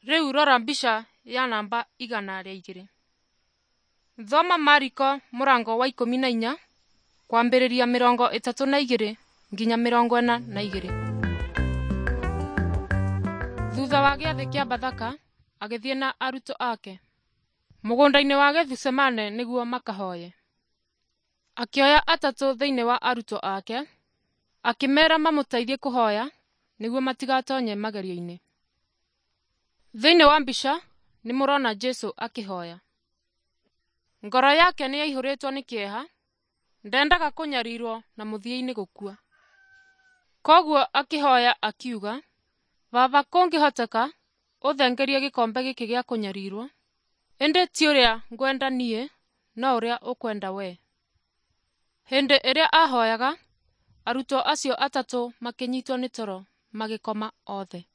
Rĩu rora mbica ya namba 102. Thoma Mariko mũrango wa 14 kwambĩrĩria 32 nginya 42. Thutha wa gĩathĩ kĩa Bathaka, agĩthiĩ na arutwo ake mũgũnda-inĩ wa Gethisemane nĩguo makahoye. Akĩoya atatũ thĩinĩ wa arutwo ake, akĩmeera mamũteithie kũhoya nĩguo matigatonye magerio-inĩ. Thĩinĩ wa mbica nĩ mũrona Jesu akĩhoya. Ngoro yake nĩ yaihũrĩtwo nĩ kĩeha, ndendaga kũnyarirwo na mũthia-inĩ gũkua. Koguo akĩhoya akiuga, Baba kũngĩhoteka ũthengerie gĩkombe gĩkĩ gĩa kũnyarirwo, ĩndĩ ti ũrĩa ngwenda niĩ no ũrĩa ũkwenda wee. Hĩndĩ ĩrĩa aahoyaga, arutwo acio atatũ makĩnyitwo nĩ toro magĩkoma othe.